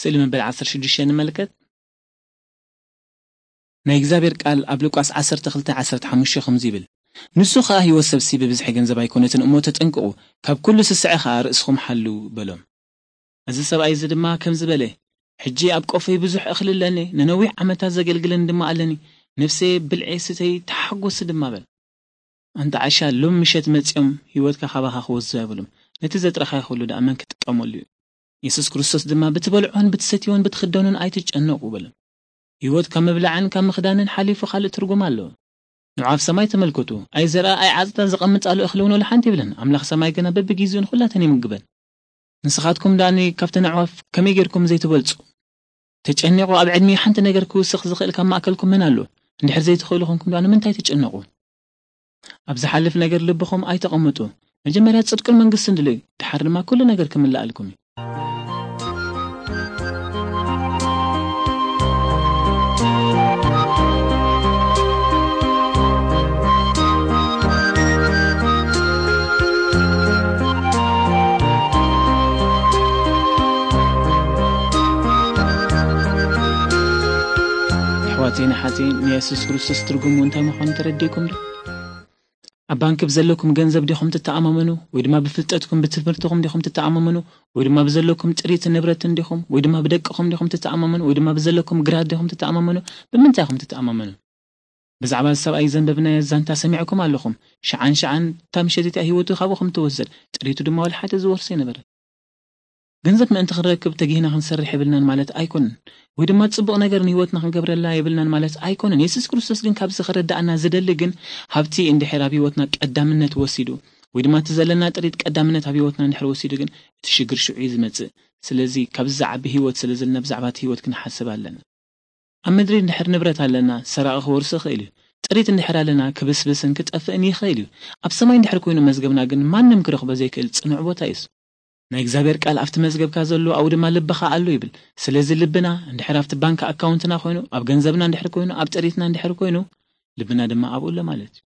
ስእሊ መበል ዓሰርተ ሽዱሽተ ንመልከት። ናይ እግዚኣብሔር ቃል ኣብ ሉቃስ ዓሰርተ ክልተ ዓሰርተ ሓሙሽተ ከምዚ ይብል፣ "ንሱ ኸኣ ህይወት ሰብሲ ብብዝሒ ገንዘብ ኣይኮነትን እሞ ተጠንቅቑ፣ ካብ ኩሉ ስስዐ ኸኣ ርእስኹም ሓልዉ" በሎም። እዚ ሰብኣይ እዚ ድማ ከምዚ በለ፣ "ሕጂ ኣብ ቆፎይ ብዙሕ እኽሊ ኣለኒ፣ ንነዊሕ ዓመታት ዘገልግለኒ ድማ ኣለኒ፣ ነፍሰየ ብልዒ ስተይ ተሓጎሲ ድማ" በል። ኣንታ ዓሻ፣ ሎም ምሸት መጺኦም ህይወትካ ካባኻ ክወስዱ ኣይብሉም። ነቲ ዘጥረኻዮ ኩሉ ደኣ መን ክጥቀመሉ እዩ? የሱስ ክርስቶስ ድማ፣ "ብትበልዖን ብትሰትዮን ብትኽደኑን ኣይትጨነቑ" በሎም። ህይወት ካብ ምብላዕን ካብ ምኽዳንን ሓሊፉ ካልእ ትርጉም ኣለዎ። ንዑ ኣብ ሰማይ ተመልከቱ። ኣይዘርኣ ኣይዓጽዳ፣ ዘቐምጣሉ እኽሊ እውን ወላ ሓንቲ የብለን። ኣምላኽ ሰማይ ግና በብግዜኡ ንኹላተን ይምግበን። ንስኻትኩም ደኣ ካብተን ኣዕዋፍ ከመይ ጌርኩም ዘይትበልጹ? ተጨኒቑ ኣብ ዕድመ ሓንቲ ነገር ክውስኽ ዝኽእል ካብ ማእከልኩም መን ኣሎ? እንድሕር ዘይትኽእሉ ኮንኩም ደኣ ንምንታይ ትጨነቑ? ኣብ ዝሓልፍ ነገር ልብኹም ኣይተቐምጡ። መጀመርያ ጽድቅን መንግስትን ድልዩ፣ ድሓር ድማ ኩሉ ነገር ክምልኣልኩም እዩ። ኣሕዋተይን ኣሓተይን፣ ንየሱስ ክርስቶስ ትርጉሙ እንታይ ምዃኑ ተረዲእኩም ዶ? ኣብ ባንክ ብዘለኩም ገንዘብ ዲኹም ትተኣማመኑ? ወይ ድማ ብፍልጠትኩም፣ ብትምህርትኹም ዲኹም ትተኣማመኑ? ወይ ድማ ብዘለኩም ጥሪትን ንብረትን ዲኹም? ወይ ድማ ብደቅኹም ዲኹም ትተኣማመኑ? ወይ ድማ ብዘለኩም ግራት ዲኹም ትተኣማመኑ? ብምንታይ ኢኹም ትተኣማመኑ? ብዛዕባ እዚ ሰብኣይ ዘንበብናዮ ዛንታ ሰሚዕኩም ኣለኹም። ሸዓን ሸዓን እታ ምሸት እቲኣ ህይወቱ ካብኡ ከም ትወሰድ፣ ጥሪቱ ድማ ዋላ ሓደ ዝወርሶ ኣይነበረን። ገንዘብ ምእንቲ ክንረክብ ተጊህና ክንሰርሕ የብልናን ማለት ኣይኮነን። ወይ ድማ ጽቡቕ ነገር ንህይወትና ክንገብረላ የብልናን ማለት ኣይኮነን። የሱስ ክርስቶስ ግን ካብዚ ክረዳእና ዝደሊ ግን፣ ሃብቲ እንድሕር ኣብ ህይወትና ቀዳምነት ወሲዱ፣ ወይ ድማ እቲ ዘለና ጥሪት ቀዳምነት ኣብ ህይወትና እንድሕር ወሲዱ ግን፣ እቲ ሽግር ሽዑ እዩ ዝመጽእ። ስለዚ ካብዚ ዝዓቢ ህይወት ስለ ዘለና ብዛዕባ እቲ ህይወት ክንሓስብ ኣለና። ኣብ ምድሪ እንድሕር ንብረት ኣለና፣ ሰራቒ ክወርሶ ይኽእል እዩ። ጥሪት እንድሕር ኣለና፣ ክብስብስን ክጠፍእን ይኽእል እዩ። ኣብ ሰማይ እንድሕር ኮይኑ መዝገብና ግን ማንም ክረኽቦ ዘይክእል ጽኑዕ ቦታ እዩ። ናይ እግዚኣብሔር ቃል፣ "ኣብቲ መዝገብካ ዘሎ ኣብኡ ድማ ልብኻ ኣሎ" ይብል። ስለዚ ልብና እንድሕር ኣብቲ ባንክ ኣካውንትና ኮይኑ፣ ኣብ ገንዘብና እንድሕር ኮይኑ፣ ኣብ ጥሪትና እንድሕር ኮይኑ፣ ልብና ድማ ኣብኡ ኣሎ ማለት እዩ።